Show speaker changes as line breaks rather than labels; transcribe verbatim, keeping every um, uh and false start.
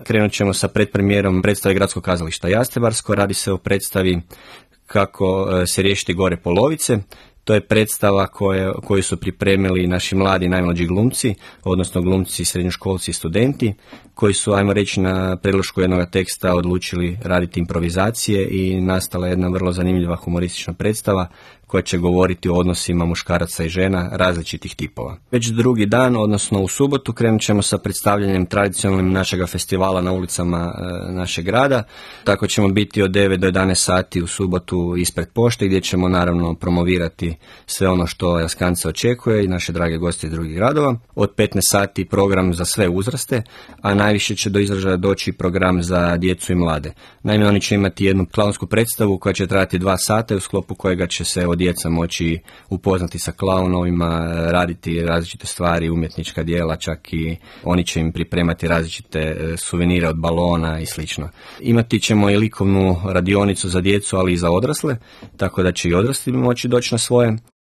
Krenut ćemo sa predpremijerom predstave Gradskog kazališta Jastrebarsko. Radi se o predstavi Kako se riješiti gore polovice. To je predstava koje, koju su pripremili naši mladi, najmlađi glumci, odnosno glumci, srednjoškolci i studenti, koji su, ajmo reći, na predlošku jednog teksta odlučili raditi improvizacije i nastala jedna vrlo zanimljiva humoristična predstava koja će govoriti o odnosima muškaraca i žena različitih tipova. Već drugi dan, odnosno u subotu, krenut ćemo sa predstavljanjem tradicionalnim našega festivala na ulicama e, našeg grada. Tako ćemo biti od devet do jedanaest sati u subotu ispred pošte, gdje ćemo naravno promovirati sve ono što Jaskance očekuje i naše drage goste iz drugih gradova. Od petnaest sati program za sve uzraste, a najviše će do izražaja doći program za djecu i mlade. Naime, oni će imati jednu klaonsku predstavu koja će trajati dva sata, u sklopu kojega će se od djeca moći upoznati sa klaunovima, raditi različite stvari, umjetnička djela, čak i oni će im pripremati različite suvenire od balona i slično. Imati ćemo i likovnu radionicu za djecu, ali i za odrasle, tako da će i odrasli moći doći na svoje.